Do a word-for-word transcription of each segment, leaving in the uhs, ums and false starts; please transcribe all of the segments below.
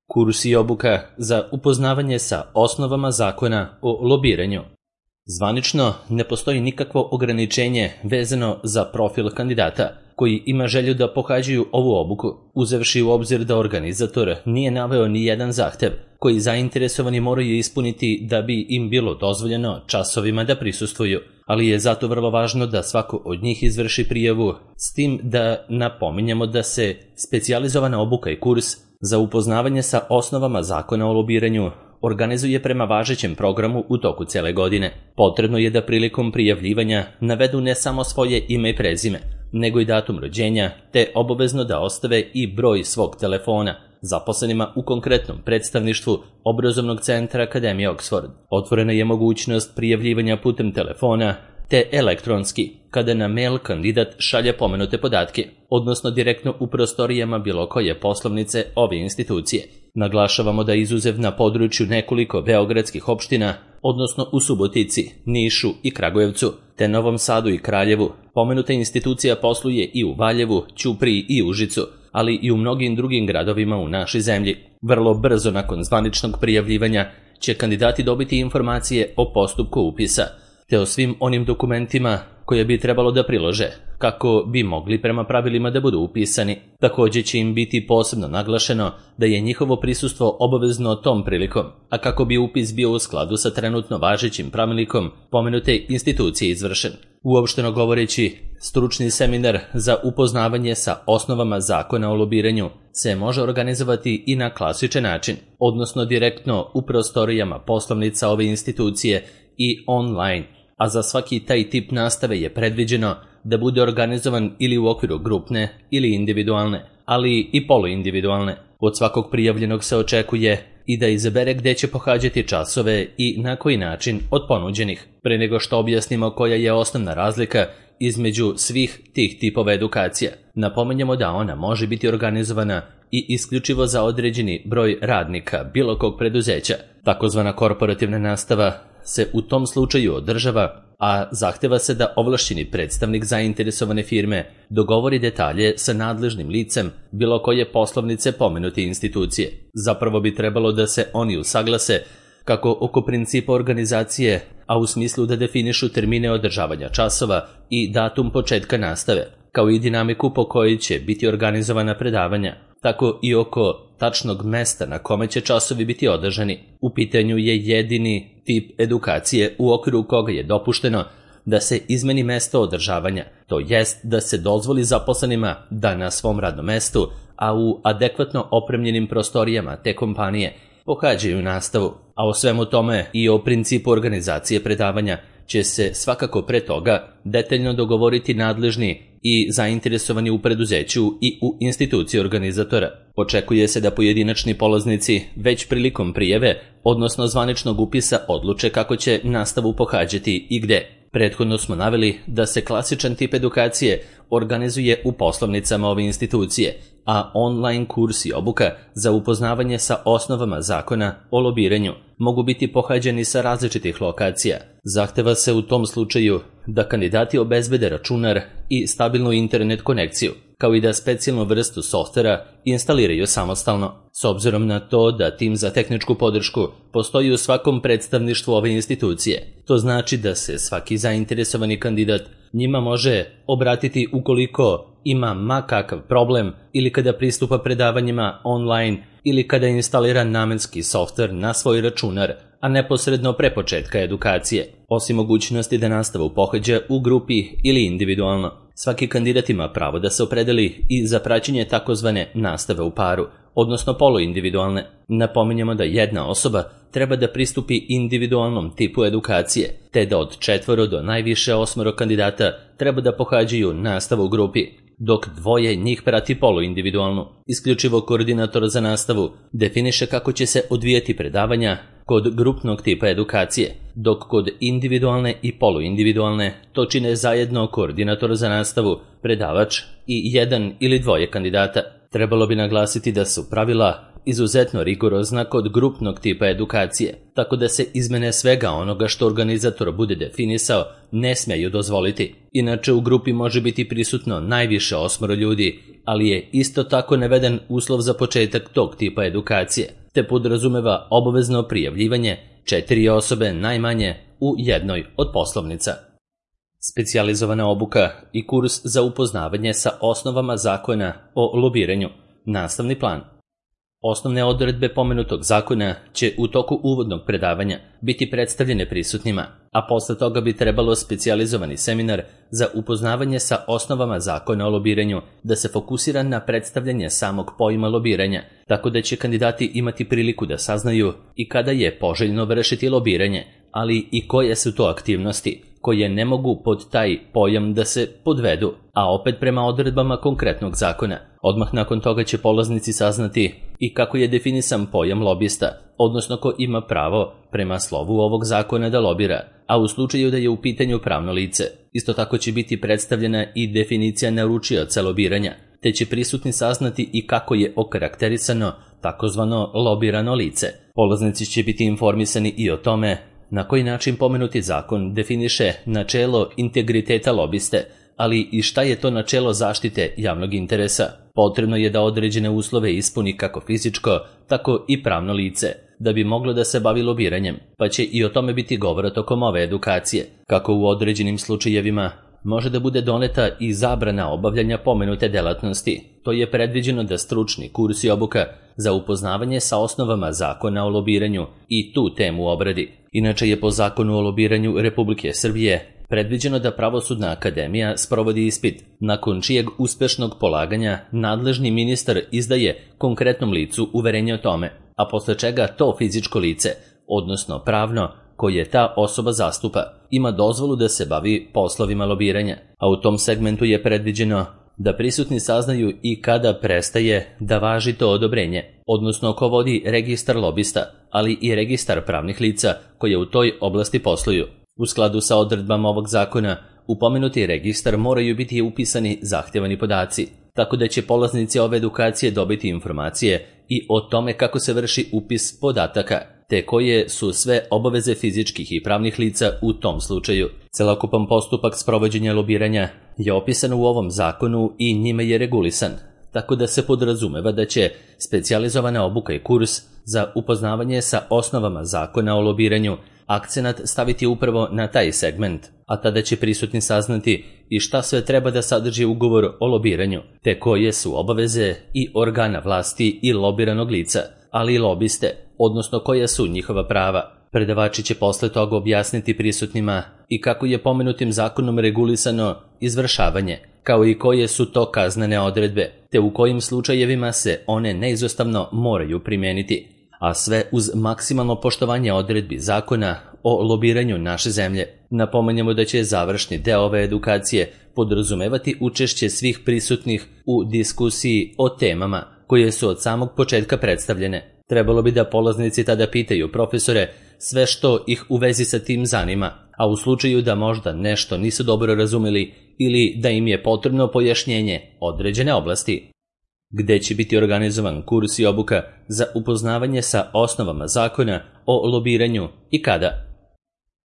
Kurs i obuka za upoznavanje sa osnovama zakona o lobiranju. Zvanično ne postoji nikakvo ograničenje vezano za profil kandidata koji ima želju da pohađaju ovu obuku, uzevši u obzir da organizator nije naveo ni jedan zahtev koji zainteresovani moraju ispuniti da bi im bilo dozvoljeno časovima da prisustvuju, ali je zato vrlo važno da svako od njih izvrši prijavu, s tim da napominjemo da se specijalizovana obuka i kurs za upoznavanje sa osnovama zakona o lobiranju organizuje prema važećem programu u toku cele godine. Potrebno je da prilikom prijavljivanja navedu ne samo svoje ime i prezime, nego i datum rođenja, te obavezno da ostave i broj svog telefona zaposlenima u konkretnom predstavništvu obrazovnog centra Akademije Oxford. Otvorena je mogućnost prijavljivanja putem telefona, te elektronski, kada na mail kandidat šalje pomenute podatke, odnosno direktno u prostorijama bilo koje poslovnice ove institucije. Naglašavamo da izuzev na području nekoliko beogradskih opština, odnosno u Subotici, Nišu i Kragujevcu, te Novom Sadu i Kraljevu, pomenuta institucija posluje i u Valjevu, Ćupriji i Užicu, ali i u mnogim drugim gradovima u našoj zemlji. Vrlo brzo nakon zvaničnog prijavljivanja će kandidati dobiti informacije o postupku upisa, te o svim onim dokumentima koje bi trebalo da prilože, kako bi mogli prema pravilima da budu upisani. Takođe će im biti posebno naglašeno da je njihovo prisustvo obavezno tom prilikom, a kako bi upis bio u skladu sa trenutno važećim pravilnikom pomenute institucije izvršen. Uopšteno govoreći, stručni seminar za upoznavanje sa osnovama zakona o lobiranju se može organizovati i na klasičan način, odnosno direktno u prostorijama poslovnica ove institucije i online, a za svaki taj tip nastave je predviđeno da bude organizovan ili u okviru grupne ili individualne, ali i poluindividualne. Od svakog prijavljenog se očekuje i da izabere gde će pohađati časove i na koji način od ponuđenih. Pre nego što objasnimo koja je osnovna razlika između svih tih tipova edukacija, napominjemo da ona može biti organizovana i isključivo za određeni broj radnika bilo kog preduzeća. Takozvana korporativna nastava se u tom slučaju održava, a zahteva se da ovlašćeni predstavnik zainteresovane firme dogovori detalje sa nadležnim licem bilo koje poslovnice pomenute institucije. Zapravo bi trebalo da se oni usaglase kako oko principa organizacije, a u smislu da definišu termine održavanja časova i datum početka nastave, kao i dinamiku po kojoj će biti organizovana predavanja, tako i oko tačnog mesta na kome će časovi biti održani. U pitanju je jedini tip edukacije u okviru koga je dopušteno da se izmeni mesto održavanja, to jest da se dozvoli zaposlenima da na svom radnom mestu, a u adekvatno opremljenim prostorijama te kompanije, pohađaju nastavu, a o svemu tome i o principu organizacije predavanja će se svakako pre toga detaljno dogovoriti nadležni i zainteresovani u preduzeću i u instituciji organizatora. Očekuje se da pojedinačni polaznici već prilikom prijave, odnosno zvaničnog upisa, odluče kako će nastavu pohađati i gde. Prethodno smo naveli da se klasičan tip edukacije organizuje u poslovnicama ove institucije, a online kurs i obuka za upoznavanje sa osnovama zakona o lobiranju mogu biti pohađani sa različitih lokacija. Zahteva se u tom slučaju da kandidati obezbede računar i stabilnu internet konekciju, kao i da specijalnu vrstu softvera instaliraju samostalno. S obzirom na to da tim za tehničku podršku postoji u svakom predstavništvu ove institucije, to znači da se svaki zainteresovani kandidat njima može obratiti ukoliko ima ma kakav problem ili kada pristupa predavanjima online ili kada instalira namenski softver na svoj računar, a neposredno pre početka edukacije. Osim mogućnosti da nastavu pohađa u grupi ili individualno, svaki kandidat ima pravo da se opredeli i za praćenje takozvane nastave u paru, odnosno poluindividualne. Napominjemo da jedna osoba treba da pristupi individualnom tipu edukacije, te da od četvoro do najviše osmoro kandidata treba da pohađaju nastavu u grupi, dok dvoje njih prati poluindividualnu. Isključivo koordinator za nastavu definiše kako će se odvijati predavanja kod grupnog tipa edukacije, dok kod individualne i poluindividualne to čine zajedno koordinator za nastavu, predavač i jedan ili dvoje kandidata. Trebalo bi naglasiti da su pravila izuzetno rigorozna kod grupnog tipa edukacije, tako da se izmene svega onoga što organizator bude definisao ne smeju dozvoliti. Inače, u grupi može biti prisutno najviše osmoro ljudi, ali je isto tako naveden uslov za početak tog tipa edukacije, te podrazumeva obavezno prijavljivanje četiri osobe najmanje u jednoj od poslovnica. Specijalizovana obuka i kurs za upoznavanje sa osnovama zakona o lobiranju. Nastavni plan. Osnovne odredbe pomenutog zakona će u toku uvodnog predavanja biti predstavljene prisutnima, a posle toga bi trebalo specijalizovani seminar za upoznavanje sa osnovama zakona o lobiranju da se fokusira na predstavljanje samog pojma lobiranja, tako da će kandidati imati priliku da saznaju i kada je poželjno vršiti lobiranje, ali i koje su to aktivnosti koje ne mogu pod taj pojam da se podvedu, a opet prema odredbama konkretnog zakona. Odmah nakon toga će polaznici saznati i kako je definisan pojam lobista, odnosno ko ima pravo prema slovu ovog zakona da lobira, a u slučaju da je u pitanju pravno lice. Isto tako će biti predstavljena i definicija naručioca lobiranja, te će prisutni saznati i kako je okarakterisano takozvano lobirano lice. Polaznici će biti informisani i o tome na koji način pomenuti zakon definiše načelo integriteta lobiste, ali i šta je to načelo zaštite javnog interesa. Potrebno je da određene uslove ispuni kako fizičko, tako i pravno lice, da bi moglo da se bavi lobiranjem, pa će i o tome biti govora tokom ove edukacije. Kako u određenim slučajevima može da bude doneta i zabrana obavljanja pomenute delatnosti. To je predviđeno da stručni kurs i obuka za upoznavanje sa osnovama zakona o lobiranju i tu temu obradi. Inače je po zakonu o lobiranju Republike Srbije predviđeno da Pravosudna akademija sprovodi ispit, nakon čijeg uspešnog polaganja nadležni ministar izdaje konkretnom licu uverenje o tome, a posle čega to fizičko lice, odnosno pravno, koje ta osoba zastupa, ima dozvolu da se bavi poslovima lobiranja, a u tom segmentu je predviđeno da prisutni saznaju i kada prestaje da važi to odobrenje, odnosno ko vodi registar lobista, ali i registar pravnih lica koje u toj oblasti posluju. U skladu sa odredbama ovog zakona, u pomenuti registar moraju biti upisani zahtevani podaci, tako da će polaznici ove edukacije dobiti informacije i o tome kako se vrši upis podataka, te koje su sve obaveze fizičkih i pravnih lica u tom slučaju. Celokupan postupak sprovođenja lobiranja je opisan u ovom zakonu i njime je regulisan, tako da se podrazumeva da će specijalizovana obuka i kurs za upoznavanje sa osnovama zakona o lobiranju akcenat staviti upravo na taj segment, a tada će prisutni saznati i šta sve treba da sadrži ugovor o lobiranju, te koje su obaveze i organa vlasti i lobiranog lica, ali i lobiste, odnosno koja su njihova prava. Predavači će posle toga objasniti prisutnima i kako je pomenutim zakonom regulisano izvršavanje, kao i koje su to kaznene odredbe, te u kojim slučajevima se one neizostavno moraju primeniti, a sve uz maksimalno poštovanje odredbi zakona o lobiranju naše zemlje. Napomenjamo da će završni deo ove edukacije podrazumevati učešće svih prisutnih u diskusiji o temama koje su od samog početka predstavljene. Trebalo bi da polaznici tada pitaju profesore sve što ih u vezi sa tim zanima, a u slučaju da možda nešto nisu dobro razumeli ili da im je potrebno pojašnjenje određene oblasti. Gde će biti organizovan kurs i obuka za upoznavanje sa osnovama zakona o lobiranju i kada?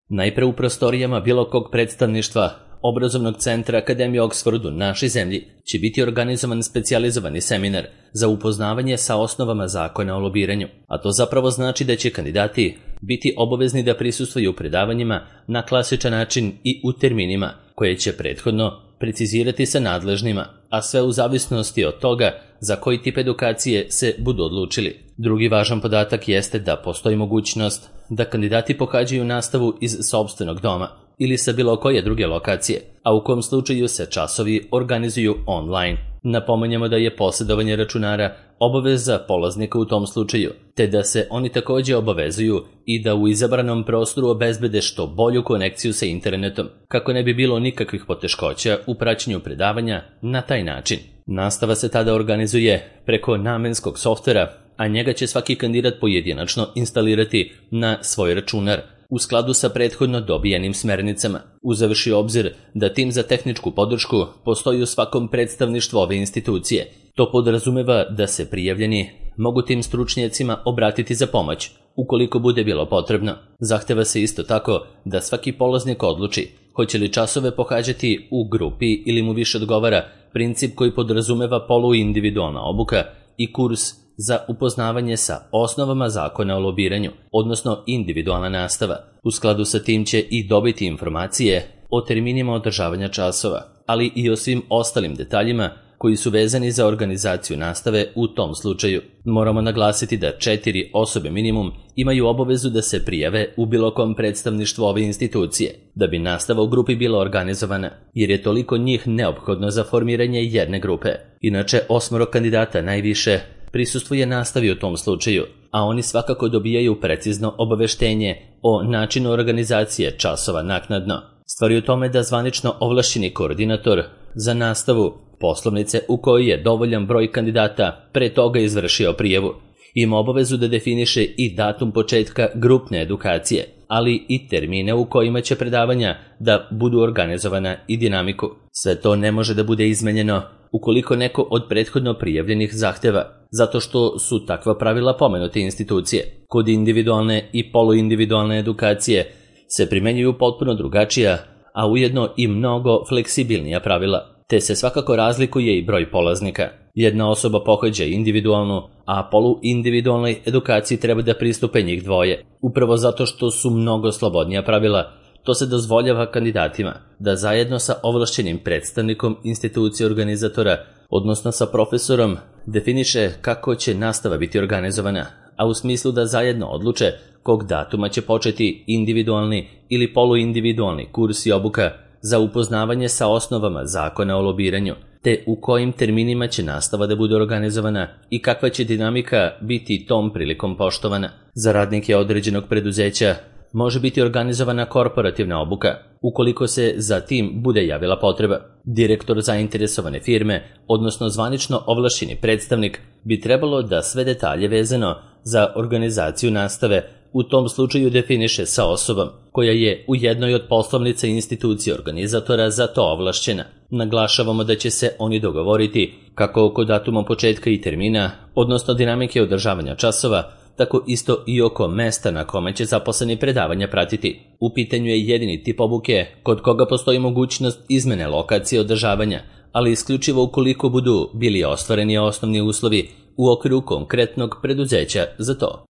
Najpre u prostorijama bilo kog predstavništva Obrazovnog centra Akademije Oxford u našoj zemlji će biti organizovan specijalizovani seminar za upoznavanje sa osnovama zakona o lobiranju, a to zapravo znači da će kandidati biti obavezni da prisustvuju predavanjima na klasičan način i u terminima koje će prethodno precizirati sa nadležnima, a sve u zavisnosti od toga za koji tip edukacije se budu odlučili. Drugi važan podatak jeste da postoji mogućnost da kandidati pohađaju nastavu iz sopstvenog doma ili sa bilo koje druge lokacije, a u kom slučaju se časovi organizuju online. Napominjemo da je posjedovanje računara obaveza polaznika u tom slučaju, te da se oni također obavezuju i da u izabranom prostoru obezbede što bolju konekciju sa internetom, kako ne bi bilo nikakvih poteškoća u praćenju predavanja na taj način. Nastava se tada organizuje preko namenskog softvera, a njega će svaki kandidat pojedinačno instalirati na svoj računar, u skladu sa prethodno dobijenim smernicama, uzevši obzir da tim za tehničku podršku postoji u svakom predstavništvu ove institucije To podrazumeva da se prijavljeni mogu tim stručnjacima obratiti za pomoć, ukoliko bude bilo potrebno. Zahteva se isto tako da svaki polaznik odluči hoće li časove pohađati u grupi ili mu više odgovara princip koji podrazumeva poluindividualna obuka i kurs za upoznavanje sa osnovama zakona o lobiranju, odnosno individualna nastava. U skladu sa tim će i dobiti informacije o terminima održavanja časova, ali i o svim ostalim detaljima koji su vezani za organizaciju nastave u tom slučaju. Moramo naglasiti da četiri osobe minimum imaju obavezu da se prijave u bilo kom predstavništvu ove institucije, da bi nastava u grupi bila organizovana, jer je toliko njih neophodno za formiranje jedne grupe. Inače, osmoro kandidata najviše prisustvuje nastavi u tom slučaju, a oni svakako dobijaju precizno obaveštenje o načinu organizacije časova naknadno. Stvar je u tome da zvanično ovlašćeni koordinator za nastavu poslovnice u kojoj je dovoljan broj kandidata pre toga izvršio prijavu ima obavezu da definiše i datum početka grupne edukacije, ali i termine u kojima će predavanja da budu organizovana i dinamiku. Sve to ne može da bude izmenjeno ukoliko neko od prethodno prijavljenih zahteva, zato što su takva pravila pomenute institucije. Kod individualne i poluindividualne edukacije se primenjuju potpuno drugačija, a ujedno i mnogo fleksibilnija pravila, te se svakako razlikuje i broj polaznika. Jedna osoba pohađa individualnu, a poluindividualnoj edukaciji treba da pristupe njih dvoje. Upravo zato što su mnogo slobodnija pravila, to se dozvoljava kandidatima da zajedno sa ovlašćenim predstavnikom institucije organizatora, odnosno sa profesorom, definiše kako će nastava biti organizovana, a u smislu da zajedno odluče kog datuma će početi individualni ili poluindividualni kurs i obuka za upoznavanje sa osnovama zakona o lobiranju, te u kojim terminima će nastava da bude organizovana i kakva će dinamika biti tom prilikom poštovana. Za radnike određenog preduzeća može biti organizovana korporativna obuka, ukoliko se za tim bude javila potreba. Direktor zainteresovane firme, odnosno zvanično ovlašćeni predstavnik, bi trebalo da sve detalje vezano za organizaciju nastave u tom slučaju definiše sa osobom koja je u jednoj od poslovnica institucije organizatora za to ovlašćena. Naglašavamo da će se oni dogovoriti kako oko datuma početka i termina, odnosno dinamike održavanja časova, tako isto i oko mesta na kome će zaposleni predavanja pratiti. U pitanju je jedini tip obuke kod koga postoji mogućnost izmene lokacije održavanja, ali isključivo ukoliko budu bili ostvareni osnovni uslovi u okviru konkretnog preduzeća za to.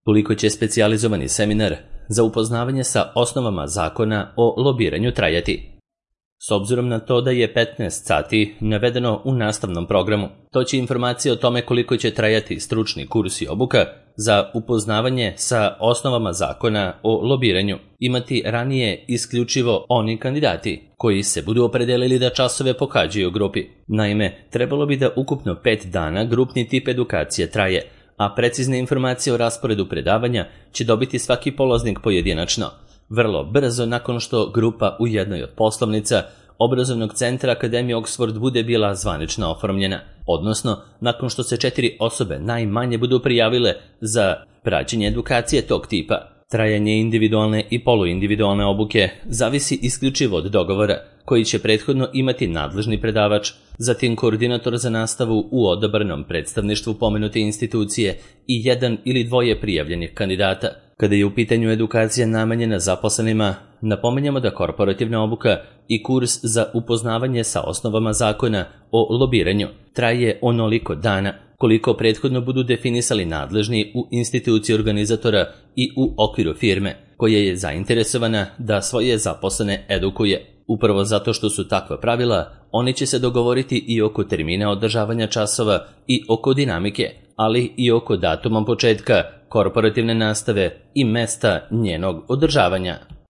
Koliko će specijalizovani seminar za upoznavanje sa osnovama zakona o lobiranju trajati? S obzirom na to da je petnaest sati navedeno u nastavnom programu, to će informacije o tome koliko će trajati stručni kurs i obuka za upoznavanje sa osnovama zakona o lobiranju imati ranije isključivo oni kandidati koji se budu opredelili da časove pohađaju u grupi. Naime, trebalo bi da ukupno pet dana grupni tip edukacije traje, a precizne informacije o rasporedu predavanja će dobiti svaki polaznik pojedinačno, vrlo brzo nakon što grupa u jednoj od poslovnica obrazovnog centra Akademije Oxford bude bila zvanično oformljena, odnosno nakon što se četiri osobe najmanje budu prijavile za praćenje edukacije tog tipa. Trajanje individualne i poluindividualne obuke zavisi isključivo od dogovora koji će prethodno imati nadležni predavač, zatim koordinator za nastavu u odabranom predstavništvu pomenute institucije i jedan ili dvoje prijavljenih kandidata. Kada je u pitanju edukacija namenjena zaposlenima, napominjamo da korporativna obuka i kurs za upoznavanje sa osnovama zakona o lobiranju traje onoliko dana koliko prethodno budu definisali nadležni u instituciji organizatora i u okviru firme koja je zainteresovana da svoje zaposlene edukuje. Upravo zato što su takva pravila, oni će se dogovoriti i oko termina održavanja časova i oko dinamike, ali i oko datuma početka korporativne nastave i mesta njenog održavanja.